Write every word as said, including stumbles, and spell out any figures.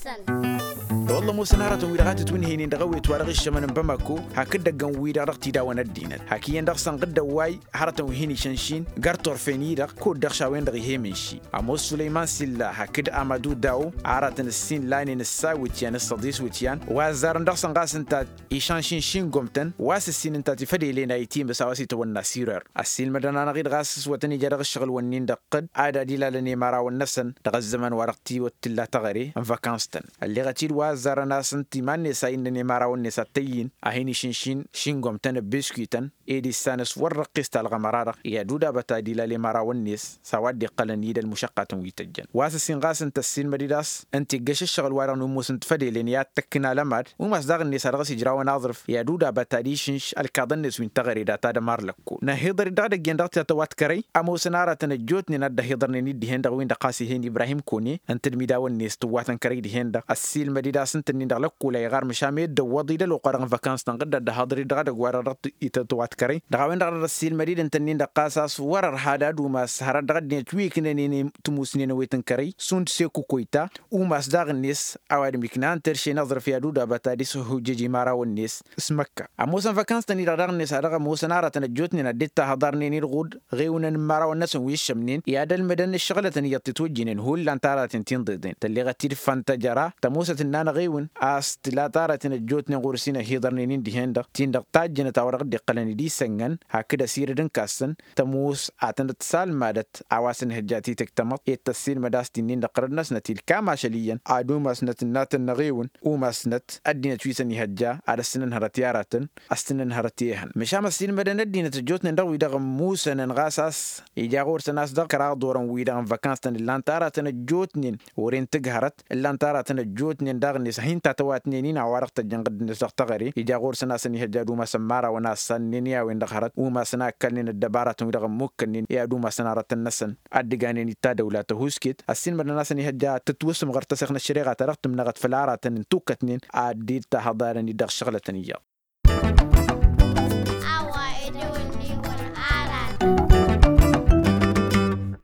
Wălla ămoosăn hărătăn-wi-dăɣ a tǝtwǝnhăynen dăɣ-ewet wa dăɣ-iššămăn n-bamako hakd-ăggăn-wi-dăɣ dăɣ-tidaw n-ăddinăt hak iyyăn dăɣ-săn ɣǝddăn wa-i hărătăn wi hin-išănšin găr-turfen-i-dăɣ kud-dăɣ šawen-dăɣ ih'-e mǝnši. Ămoos sulăyman silla hakd amădu daw aratăn ǝssin lanen ǝssa iwǝtyan s-săḍis iwǝtyan wa ăzzarăn dăɣ-săn ɣas ǝnta išănšin šingomtăn wa s-ǝssin ǝnta tifădelen a itimǝs a-wa s-itawănna sirer. Ăssiilmădăn-anăɣ-dd ɣas s-wătăn ija dăɣ-ǝššăɣǝl-wǝnnin dăɣ-tădd ad-ad-ilalăn i-imărawăn-năsăn dăɣ-ăzzăman wa dăɣ-tiwăt tǝlla taɣăre n-văkans-tăn. Ălleɣăt-dd wa ăzzarăn a-s ǝnta iman-net a innăn i-imărawăn-net ad-t-ăyyin a hin-išǝnšin šingomtăn ăbbiskităn ed issan s-wăr răqqis talɣămăra-dăɣ i-ad-udabăt ad-ilal i-imărawăn-net s-a-wa dd-iqqălăn i-dd ălmušăqqatăn wi tăjjăn wa s-ǝssin ɣas ǝnta ăssiilmăd-dd a-s ǝnta iggăš ǝššăɣǝl-wa-dăɣ n-umus n-tifădelen i-ad-tăkkǝn alămad umas daɣ-net a dăɣ-s ijrawăn aẓrǝf i-ad-udabăt ad-išǝnš ălkaḍăn-net wi n-teɣăre data d-ămar lăkkol năhiḍăr-dd dăɣ-edăgg-en dăɣ-tiṭṭăwat kărăy. Ămoosăn aratăn ăjjootnen a dd-ăhiḍărnen-dd dihen-dăɣ win-dăɣ ɣas ih'-en ibrahim kone ǝnta d-imidaw-net tǝwwatăn kărăy dihen-dăɣ ăssiilmăd-dd a-s ǝnta-nin-dăɣ lăkkol a iɣar măšan meddǝn wăḍ-dd ălwăqq-wa-dăɣ n-văkans-tăn ɣǝddăt d-ahăḍăr-dd dăɣ-edăgg-wa-dăɣ dăɣ-tiṭṭăwat kărăy. Dăɣ-a-wen-dăɣ a dd-ăssiilmăd-dd ǝnta-nin-dăɣ ɣas a-s wăr-ărha d-ad-umas hărăt dăɣ-ăddinăt wi ǝknănen tǝmusnen ăwet n-kărăy šund seku koyta umas daɣ-net a-wa dd-miknăhăn terše n-aẓrǝf i-ad-udabăt ad-ishujjăj imărawăn-net. S-măkka ămoosăn văkans-tăn-i-dăɣ daɣ-net a dăɣ-ămoosăn aratăn ăjjootnen ad-dd-tahăḍarnen-dd ɣud ɣewǝnăn n-imărawăn-năsăn wi ǝššămnen i-ad-ălmădăn ǝššăɣlătăn iyyăḍ titwăjjinen hullan taratăn ti n-iḍeḍen tălleɣăt-dd făntăjăra tămoosăt ǝnnan ăɣewǝn a-s tǝla taratăn ăjjootnen ɣur-s inăhiḍărnen-in dihen-dăɣ ti n-dăɣ tajjănăt a-wa dăɣ-dd-iqqălăn d-isăngăn hakd ăsirǝd n-kassăn tămoos a tănăt-salmadăt a-wa s-ănhăjja titǝkt tamăḍt i-tăssiilmăd a-s ti-nin-dăɣ tărăd-năsnăt ilkam ašăl iyyăn ad-umasnăt ǝnnatăn n-aɣewǝn umasnăt ăddinăt wi s-ănihăjja ad-ăssinănhărăt i-aratăn ăssinănhărăt i-ehăn măšan ăssiilmădăn ăddinăt ăjjootnen dăɣ-wi-dăɣ ămmusănăn ɣas a-s ija ɣur-săn a-s dăɣ-kăraḍ orăn-wi-dăɣ n-văkans-tăn ǝllan-t aratăn ăjjootnen wăren tǝghărăt ǝllan-t aratăn ăjjootnen daɣ-net a hin-tatăwatnen-in a-wa-dăɣ tăjjăn ɣǝddǝnet dăɣ-teɣăre ija ɣur-săn a-s ănihăjja ad-umasăn imărawăn a ăssannen i-a-wen-dăɣ hărăt umasăn a ǝkkalnen ăddăbaratăn-wi-dăɣ ămmukkănnen i-ad-umasăn arătăn-năsăn ad-dd-ǝganen d-tadăwla tăhusket ăssiilmădăn a-s ănihăjja ad-tǝtwǝsǝmɣăr tăseɣt n-ăššăreɣa ta dăɣ-tǝmnăɣăt făll-aratăn n-tukkătnen ad-dd-tahăḍarăn-dd dăɣ-išăɣlătăn iyyăḍ.